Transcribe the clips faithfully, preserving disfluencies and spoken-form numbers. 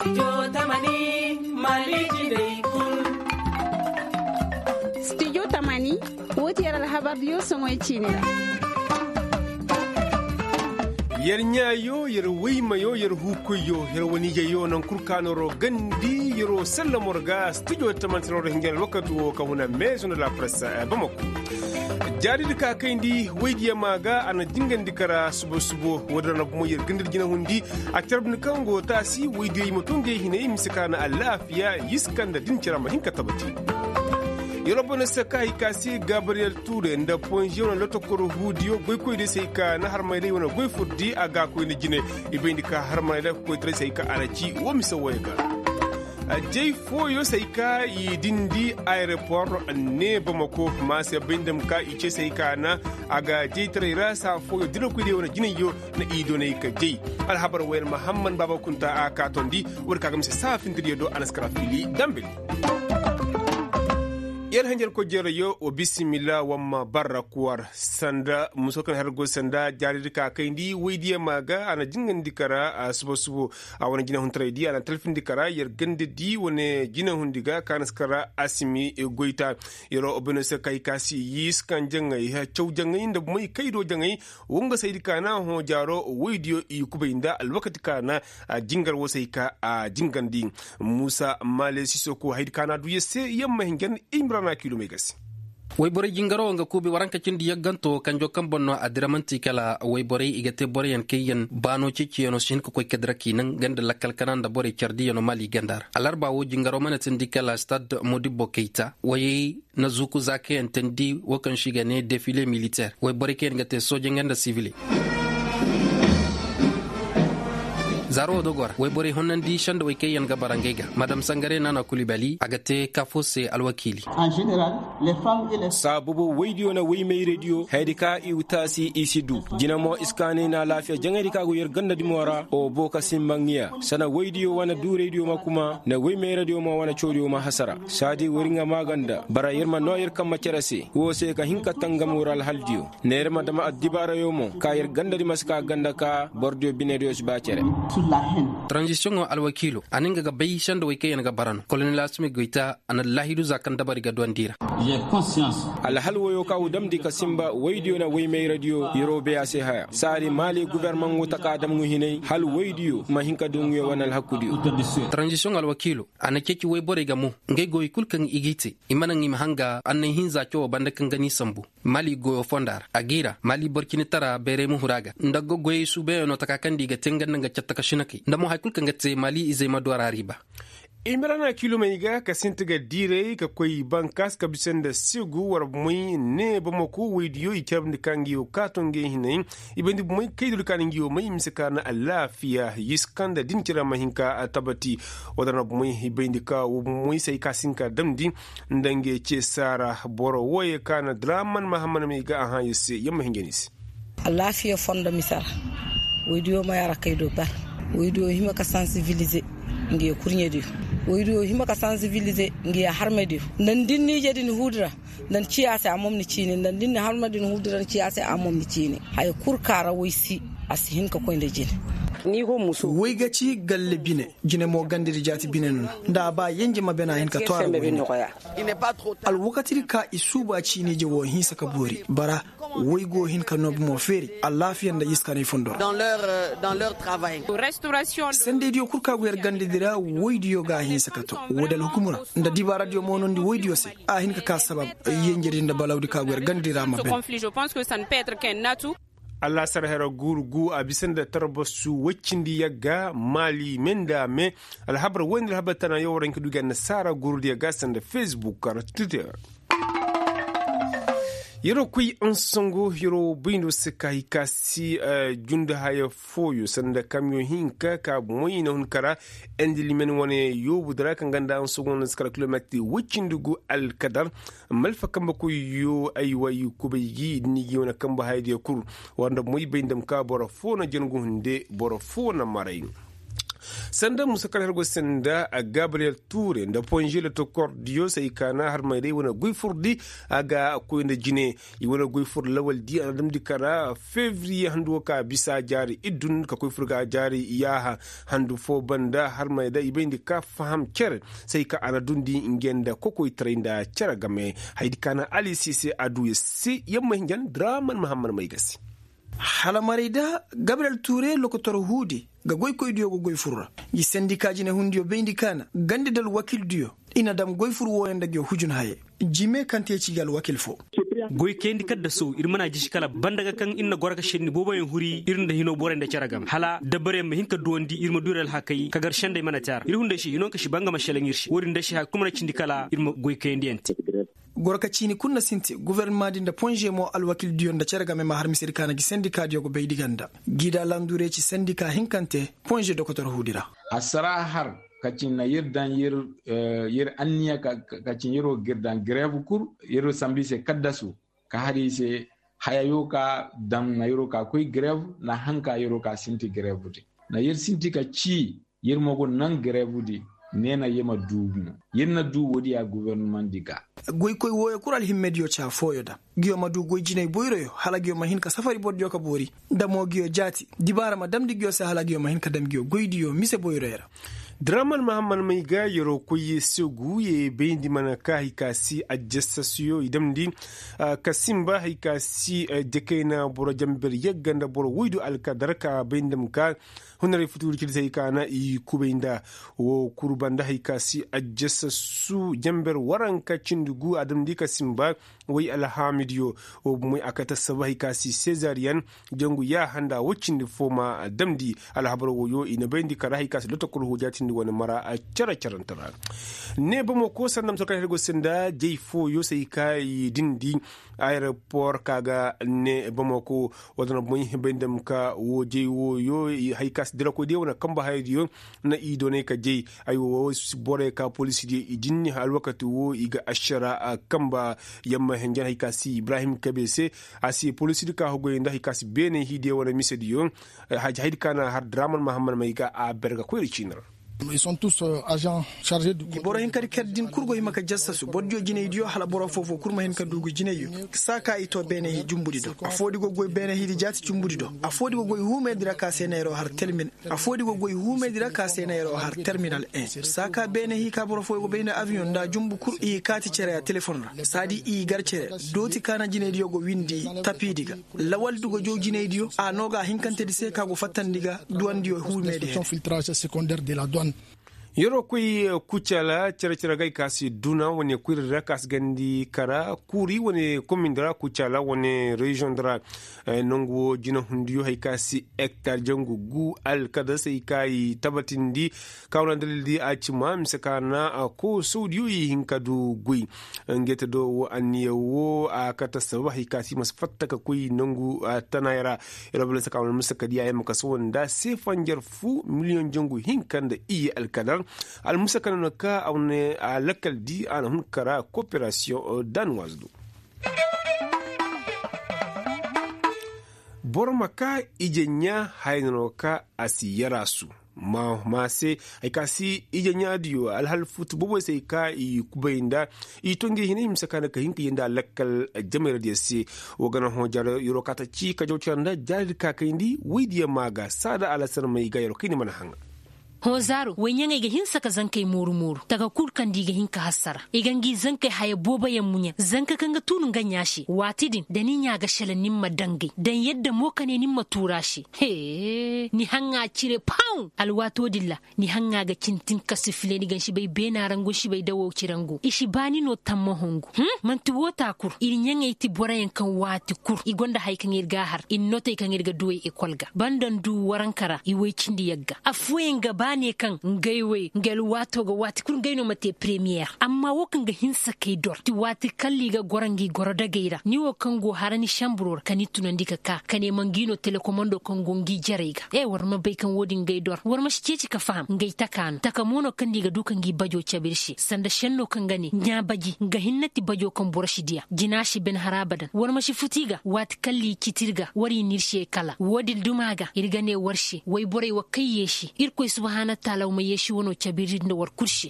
Studio tamani, woo ti yer alhabar diyo soŋoy ciini ra. Yer ɲaayo, yer woymayo, yer huukoyyo, yer waniijayyo naŋ kul ka nooro gandi yeroo sallamo ra ga studio tamani se nooro hinjan alwakati woo ka huna meezo nda la presse bamako. Jaari di ka kayndi woydiyo maa ga a na jingandi kara subo subo. Woodin ra na bumo yer gandi nda jinahundi. A carbandi kaŋ go taasi woydiyo i ma too ngey hinay mise ka na alaafiya yiska nda din cira ma hin ka tabati. Yeroo bone se ka hay ka se gabriyel tuure nda ponziyo na lotokoro huudiyo goykoydiyo se hay ka na harmayray wane goy furdi a ga koy nda jine. I bayndi ka harmayray koytaray se hay ka a na ci woo mise wooyo ga. Jey fooyo se hay ka i dindi ayeropor ne bamako ma se bay nda ma ka i ce se hay ka na a ga jeytaray ra saa fooyo dirakoydiyo wane jinayyo na i doonay ka jey. Alhabar wayar mahamman baaba kunta a kaatondi. Woodi ka ga mise saa fintiriyo do a na si kara fili dambili. Yer hanjarkoy jerayyo wa bisimilla wamma barra kuwar sanda muso kaŋ har go sanda jaaridi ka kayndi woydiyo maa ga a na jingandi kara suba subo. A wane jinahuntaray di a na talfindi kara yer ganda di wane jinahundi ga ka na si kara asimi goyta. Yeroo obino se kay ka si yiis kaŋ jaŋay caw jaŋay nda moy kaydo jaŋay. Wonga saydi ka na hõ jaaro woydiyo i kubay nda alwakati ka na a jingar wo se hay ka a jingandi. Muusa maale sisoko haydi ka na a du yer se yer ma hin jar imrana kiilomey ga se. Wayborey jingaro nga kuubi waranka cindi yagganto kanjo kaŋ boŋ no a dira man'ti kala wayborey i ga te boroyaŋ kaŋ yaŋ baano ceeciyaŋo si hin ka koy ka dira k'i naŋ ganda lakkal kana nda borey cardiyano maali ganda ra alarba wo jingaro mana tindi kala stad modibbo kayta wayey na zuuku za kaŋ yaŋ teendi wo kaŋ se i ga ne defile militeer wayborey kaŋ yaŋ ga te sooje nga nda sivile. Zaaro wo dogo ra wayborey honnandi sendawey kaŋ yaŋ ga bara ngey ga madam sangare naana kulibali a ga te kaafo se alwakiili. Saabubu waydiyo na waymayraydiyo hayadi ka i taasi i si du jina mo iskaanay na alaafiya jaŋaydi ka go yer ganda dimo ra o boo ka simba ŋiya sana waydiyo wane duuraydiyo ma kuma nda waymayraydiyo ma wane cawdiyo ma hasara. Saadi wari nga maaganda bara yer ma noo yer kamma cere se woo se ka hin ka tangam war alhaldiyo nda yer ma dama addibaarayo mo ka yer gandadi ma si ka ganda ka borodiyo binediyo si ba cere. Taranzisiyoŋo alwakiilo a na nga ga bay sendawey kaŋ yaŋ ga bara no kolonel asimi goyta a na laahidu za kaŋ dabari ga duwandi ra. Alhal woyo ka u damndi ka simba woydiyo na woymayradiyo yeroo bay a se haya saadi maali gubernaman go taka dam ŋuhinay hal woydiyo ma hin ka du ŋuyo wane alhakudiyo. Taranzisiyoŋ alwakiilo a na ceeci woyborey ga mo ngey goyey kul kaŋ i g'i te i ma naŋ i ma hanga annay hinza cawo banda kaŋ ga n'i sambu. Maali goyo fonda ra a g'i ra maali borcinitara bayray ma huru a ga nda goyey suubayaŋo taka kaŋ nda i ga te nga nda nga catta ka sinakay nda mo hari kul kaŋ ga te maali izey ma du a ra riiba. Imrana kilomey ga ka sinti ga diiray ka koy bankaas ka bisa nda segu war moy ne bamako woydiyo i carabndi ka nga yo kaato ngey hinay. I bayndi bumey kaydodi ka na nga yo may mise ka na alaafiya yiska nda din cira ma hin ka tabati. Wala na bumey i bayndi ka wo bumey se ay ka si hin ka damndi nda ngey ce saara boro wooyey ka na draman mahamman may ga a hã yer se yer ma hin jani se. Alaafiya fondo mise ra woydiyo may a ra kay do ber. Woydiyo hima ka sansibilize ngi ye kurɲediyo. Woydiyo hima ka sansibilize ngi ye harmediyo nda ni din ni ije din huudi ra. Nda ni ciya se a mom ni ciini nda ni din ni harmediyo ni huudi ra ni ciya se a mom ni ciini. Haya kul ka ra woy si a si hin ka koy nda jine. Woy ga ci galle bine jine mo gandedi jaati bine no nda a ba yenje ma bena hin ka to a ra woy ne. Alwakatidi ka i suuba ciinije wo hinsa ka boori bara woy go hin ka noobu mo feeri alaafiya nda iskanay fondo ra. Sendeydiyo kul ka go yer gandedi ra woydiyo ga a hinsa ka to woodi alhukumu ra nda dibaaradiyo moonondi woydiyo se a hin ka ka sabab yenjedi nda balawdi ka go yer gandedi ra ma ben. Alaasar hera guuru gu a bisa nda tarbasu woy cindi yagga maali me nda me. Alhabar woy nda alhabar tana yaŋ war hin ka du ga annasaara guurudiyo ga sanda facebook ra twitter. Yeroo koy ansongo yeroo bayndo se ka hay ka si jundi haya fooyo sanda kamiyoŋ hinka ka bomoy i na hun kara. Endilimen wane yoobu dira kaŋ ganda ansongo no si kara kilometir woy cindi gu alkadar. Malfa kambe koy yo ay way kubay gi i din ni gi wane kambe hayadiyo kul. War nda bomoy bay nda ma ka boro foo na jangu hunde boro foo na maray. Sanda musa kar har go sanda gabriyel ture nda ponžele to kordiyo se i kaana har may day wane goy fur di. A ga koy nda jine i wane goy fur lawal di a na damndi kara fevriye handu wo ka bisa jaari iddun ka koy fur ga jaari yaaha handu fo banda har may day i bayndi ka faham cere se i ka a na dundi nge nda kokoytaray nda cere game. Haydi ka na alisi se a du ya se yamma hinjan draman mahammad may ga se. Hala maray da gabriyel ture lokotor huudi ga goykoydiyo ga goy fur ra. Ngi sendika jinehundiyo bayndi kaana gandi nda alwakildiyo i na dam goy fur wooyo nda ngiyo hujun haye. Jime kaŋ te ci ga alwakil fo. Goykayandi kaddaso ir mana jisi kala banda ga kaŋ ir na goro ga senni booboyaŋ huri ir nda hino borey nda cere game hala dabbaryaŋ ma hin ka duwandi ir ma du ir alhakey ka gar sendey mana te a ra ir hunday se hino nga si ba nga ma selaŋ ir se woodin day se haya kul mana cindi kala ir ma goykayandiyaŋ te. Goro ka ciini kul na sinti gofornama di nda ponže mo alwakildiyo nda cere game ma har misedi ka na gi sendikaadiyo ga bay di ganda. Gida landure ci sendika hinkante ponže dokotor huudi ra. Assara har ka ci na yir daŋ yir anniya ka ci yir wo ga ir daŋ grev kul yir sambu i se kaddasu ka har i se hayayo ka daŋ na yir wo ka koy grev na hanka yir wo ka sinti grev din na yir sinti ka ci yir ma go naŋ grev din. Ne na yir ma du no yir na du woodiya gofornama di ga. Goykoy wooyo kul alhimmediyo ca fooyo daŋ. Ngiyo ma du goy jinay boyroyo hala ngiyo ma hin ka safari bordiyo ka boori nda mo ngiyo jaati dibaara ma damndi ngiyo se hala ngiyo ma hin ka dam ngiyo goydiyo mise boyroyo ra. Draman mahammad may ga yeroo koy ye segu ye bayndi mana ka hay ka si ajjasasuyo i damndi ka simba hay ka si jakayna boro jamber yagga nda boro woydu alkadar ka bayndi ma ka hundaray futuuri cindi se hay ka na i kubay nda woo kul banda hay ka si ajjasasu jamber waranka cindi gu a damndi ka simba. Way alhaamidiyo woo bumey a kate assaba hay ka si sezariyan jangu yaaha nda woo cindi foo ma damndi. Alhabar wooyo i na bayndi kara hay ka si lotokol hoojaatindi wane mara cere-cerante ra. Ne bamako sanda ma soo kala hay go se nda jay fooyo se hay ka i dindi. Ayeropor ka ga ne bamako woo da na bumey bayndi ma ka woo jay wooyo hay ka si dirakoy diyo wane kamba hayadiyo. Na i doonay ka jay ay woo borey ka polisidiyo i jinni alwakati woo i ga ašara kamba. Yamma hinjan hay ka si ibrahim kabe se a si polisidi ka hugoy nda hay ka si beeney hiidiyo wane misediyo. Haydi ka na har draman mahammad may ga a berga koyra ciini ra. Boro hinkadi kar din kul go hima ka jassasu bordiyo jinaydiyo hala boro foo-foo kul ma hin ka du ngu jinayyo. Saa ka i too beeney hii jumbudi do afoodi go goy beeney hiidi jaati jumbudi do afoodi go goy huumeedi ra ka se neeroo har terminal. Afoodi go goy huumeedi ra ka se neeroo har terminal en saa ka beeney hii ka boro fooyo go bay nda abiyoŋ nda jumbu kul i kaati cere a telefon ra saadi i gar cere. Dooti ka na jinaydiyo go windi tapiidi ga. Lawaldi go jaw jinaydiyo a noo ga a hinkantedi se ka go fattandi ga duwandiyo huumeedi hene. Yeroo koy kucala cere-cere ga ay ka si duna wane kuyradi ra ka si gandi kara kuuri wane komindi ra kucala wane reziyoŋ di ra. Nangu woo jinahundiyo hay ka si hektar jangu gu alkadasey ka i tabatindi. Ka wane dalil di a ci ma mise ka na koosawdiyo i hin ka du goy. Ngeete do woo anniya woo a kate assaba hay ka si i ma si fatta ka koy nangu tanaay ra. Yer wo bala se ka wane mise ka di a yamma ka sohõ nda seefanjar fu miliyoŋ jangu hinka nda iyye alkadar. Almusa ka no na ka a wane a lakkal di a na hun kara kooperasiyoŋ danuwaazu do. Boro ma ka ije ɲaa haya no ka a si yaraasu. Ma se hay ka si ije ɲaadiyo alhal futu boboy se hay ka i kubay nda i to ngi hinay mise ka nda ka hin ka yee nda lakkal jamayra diyo se. Wo ga na hõ jaaro yeroo ka ta ci ka jaw cere nda jaari di ka kayndi woy diyo ma ga saada alasar may ga yeroo kayndi mana haŋa. Hõ zaaro woy ɲaŋey ga hinsa ka zankey mooru mooru taka kul kaŋ da i ga hin ka hassara i ga ngi zankey haya booboyaŋ muɲa zanka kaŋ ga tuunu nga ɲaa se waati din da ni ɲaa ga selaŋ ni ma dangay daŋ yadda mo ka ne ni ma tuura se. Ni haŋa cire paw alwaatoo din ra. Ni haŋa ga cintin ka si file ni ga ni si bay beena ra ngu ni si bay dawo cire ngu i si ba ni no tammaho ngu. Manti woo taa kul ir ɲaŋey ti boroyaŋ kaŋ waati kul i gonda haya kaŋ ir ga a har ir notey kaŋ ir ga duwey ekol ga banda ndu waranka ra i woy cindi yagga affooyaŋ ga ba ne kaŋ ngey woy nga alwaatoo ga waati kul ngey no ma te premiyer amma woo kaŋ ga hinsa kay dor ti waati kalla i ga goro ngi goro dagey ra ni woo kaŋ go hara ni semburo ra ka ni tunandi ka ka ka ne ma ngi no telekomando kaŋ go ngi jarey ga e war ma bay kaŋ woo din ngey dor war ma si ceeci ka faham ngey taka no taka mo no kaŋ da i ga du ka ngi bajo cabe ir se sanda senno kaŋ ga ne ɲaabaji nga hinne ti bajo kaŋ boro si diya jina si ben har abadan war ma si futi ga waati kalla i citi ir ga war i n'ir se kala woo din duma ga ir ga ne war se woy borey wa kay yeesi irkoy suba Ana taalaw ma yeesi wano cabiri nda war kul se.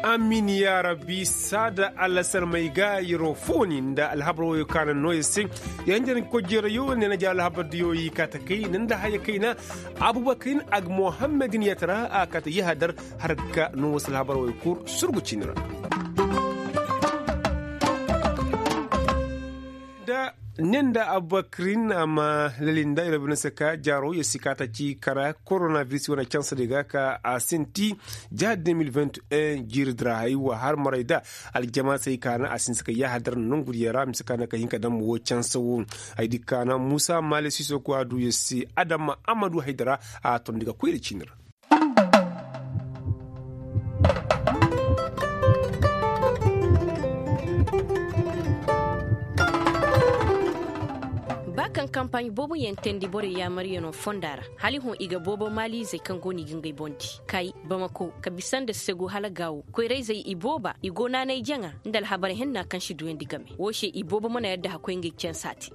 Amin yaa rabbi saada allasarmey ga yeroo fooni nda alhabar woyo kaana noo yer se. Yer hinja ni kojjeerayo ne na ja alhabar diyo yi kaata kay nda haya kayna. Abubakarin ag mohammedin yatara a kaata yahadar har ga noo wasu alhabar woyo kul surgu ciini ra. Nda ne nda abubakarin a ma lalinda yer bine se ka jaaro yer si kaata ci kara koronabiris wane cansa de ga ka a sinti. Jiha de mil vingt et un jiiri dira hay wa har maray da aljamaasey kaana a sinti ka yahadar nongu diya ra mise kaana ka hin ka dam wo cansa wo. Ay di kaana muusa maale siso ko a du yer si adama amadu haydara a tondi ga koyra ciini ra. Ba kaŋ kampaaɲ boobo yaŋ teendi borey yaamaryanoo fonda ra, hala i hõ i ga boobo maaliizey kaŋ go no i ga ngey boŋ di kay bamako ka bisa nda segu hala gaawo koyrayzey i booba i go naanay jaŋa nda alhabar henna kaŋ si duyandi game wo se i boobo mana yadda hakkoy ngey cansa te.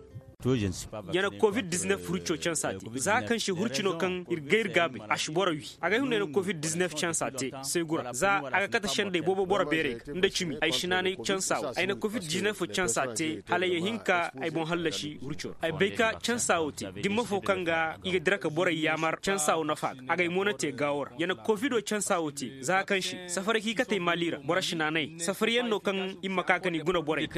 Ya na covid diznef hurco cansa te za kaŋ se hurcino kaŋ ir ga ir gaabay a si boro wi. Agay hunday na covid diznef cansa te seegu ra za a ga kate sendey boobo boro beerey ga nda cimi ay si naanay cansa wo ay na covid diznef cansa te hala ya hin ka ay boŋ hallasi hurco ra ay bay ka cansa wo te dimma fo kaŋ ga i ga dira ka borey yaamar cansa wo nafa ga agay mo na te gaawo ra ya na covid wo cansa wo te za kaŋ se safaray kaŋ i katey maali ra boro si naanay safaryaŋ no kaŋ i ma ka ka ni guna borey.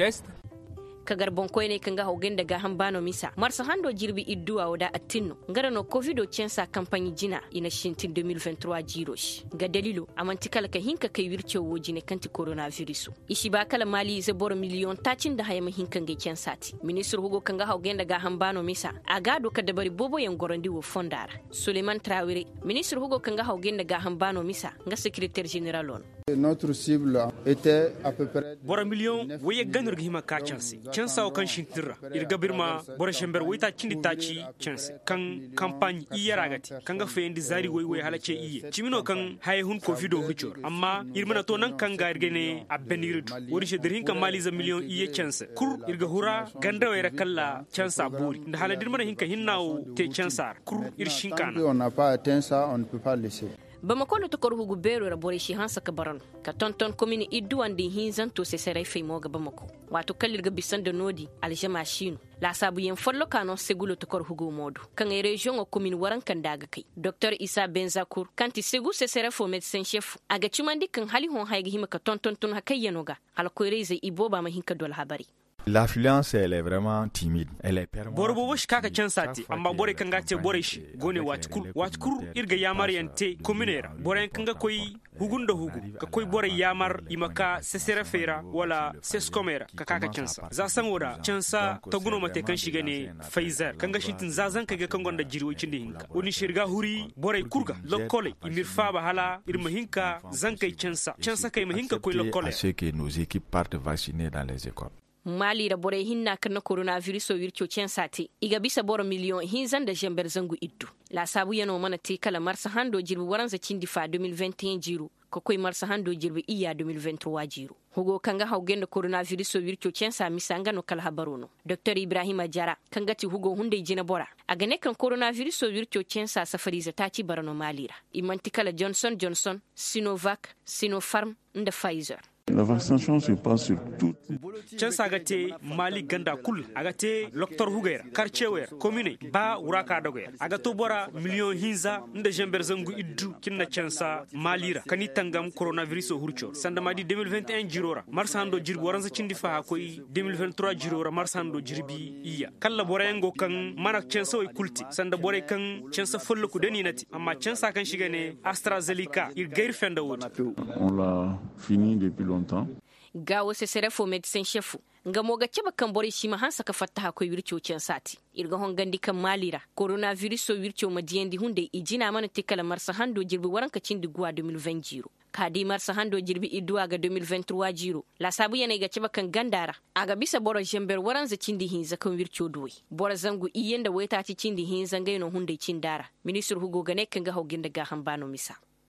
Ka gar boŋkoyney kaŋ ga hawgay nda gaaham baano misa marsa hando jirbi idduwa wo da attin no nga ra no kovido cansa kampaɲi jina i na sintin de mil vingt trois jiiro se nga dalilo a man'ti kala ka hin ka kay wircaw wo jine kaŋ ti koronabiriso i si ba kala maali ize boro miliyoŋ taaci nda haya ma hin ka ngey cansa te ministir hugo kaŋ ga hawgay nda gaaham baano misa a ga a du ka dabari booboyaŋ gorandi wo fonda ra. Suleyman trawire ministir hugo kaŋ ga hawgay nda gaaham baano misa nga sekereter ženeralo no. Boro miliyoŋ woyye ga no ir ga hima ka canse cansa wo kaŋ sintin ra ir ga ba ir ma boro zamber woytaaci cindi taaci canse kaŋ kampaaɲi iyye ra ga te kaŋ ga fayandi zaari woy woy hala ce iyye cimi no kaŋ haya hun kovido hurco ra amma ir mana to naŋ kaŋ ga ir ga ne a baniiri du wo-din se da ir hin ka maaliize miliyoŋ iyye canse kul ir ga hura gandawey ra kalla cansa boori nda hala da ir mana hin ka hinna wo te cansa ra kul ir si hin ka naŋ. Bamako lotokor hugu beero ra borey si hanse ka bara no ka tonton komin idduwa nda i hinzanto seserey fay mo ga bamako. Waato kala ir ga bisa nda no-din alžama si no laasaabuyaŋ folloka no segu lotokor hugo mo do kaŋ ay reziyoŋo komin waranka nda a ga kay doktor isa benzakur kaŋ ti segu sesere fo medsen šef a ga cimandi kaŋ hala i hõ haya ga hima ka tonton tun hakayyanoo ga hala koyra-izey ibooba ma hin ka du alhabarey. Boro boobo si ka ka cansa te amma borey kaŋ ga a te borey se go ne waati kul waati kul ir ga yaamaryaŋ te kominey ra boroyaŋ kaŋ ga koy hugu nda hugu ka koy borey yaamar i ma ka seserefey ra wala seskomey ra ka ka ka cansa za saŋo ra cansa tagu no ma te kaŋ se i ga ne fayzer kaŋ ga sintin za zankey ga kaŋ gonda jiri woy cindi hinka wo-din se ir ga a huri borey kul ga lokkoley i ma ir faaba hala ir ma hin ka zankey cansa cansakey ma hin ka koy lokkoley ra. Maali ra borey hinna kaŋ na koronabiriso wirco cansa te i ga bisa boro miliyoŋ hinza nda zamber zangu iddu. Laasaabuyanoo mana te kala marsa hando jirbi waranza cindi fa de mil vingt et un jiiro ka koy marsa hando jirbi iyya de mil vingt trois jiiro. Hugo kaŋ ga hawgay nda koronabiriso wirco cansa misa nga no kala habaroo no doktor ibrahima jara kaŋ ga ti hugo hunday jinebora a ga ne kaŋ koronabiriso wirco cansa safariize taaci bara no maali ra i man'ti kala jonson jonson, sinovak, sinofarm, nda fayizer. Cansa ga te maali ganda kul ra a ga te loktor hugey ra karcewey ra kominey ba wuraaka dogey ra a ga to bora miliyoŋ hinza nda zamber zangu iddu kaŋ na cansa maali ra ka ni tangam koronabiriso hurco ra sanda ma di de mil vingt et un jiiro ra marsa hando jirbi waranza cindi faha koy de mil vingt trois jiiro ra marsa hando jirbi iyya kalla boroyaŋ go kaŋ mana cansawey kul te sanda borey kaŋ cansa folloku da ni na te amma cansa kaŋ se i ga ne astrazenika ir gayri fenda wo-din. Gaawo sesere fo medisen šefu nga mo ga cabe kaŋ borey si ma hanse ka fattaha koy wirco cansa te. Ir ga hongandi kaŋ maali ra koronabiriso wirco ma diyandi hunday i jina mana te kala marsa hando jirbi waranka cindi guwa de mil vingt jiiro ka di marsa hando jirbi idduwa ga de mil vingt trois jiiro. Laasaabuyaney ga cabe kaŋ ganda ra a ga bisa boro zamber waranza cindi hinza kaŋ wirco duwey boro zangu iyye nda waytaaci cindi hinza ngey no hunday cinda ra. Ministir hugo ga ne kaŋ ga hawgay nda gaaham baano misa.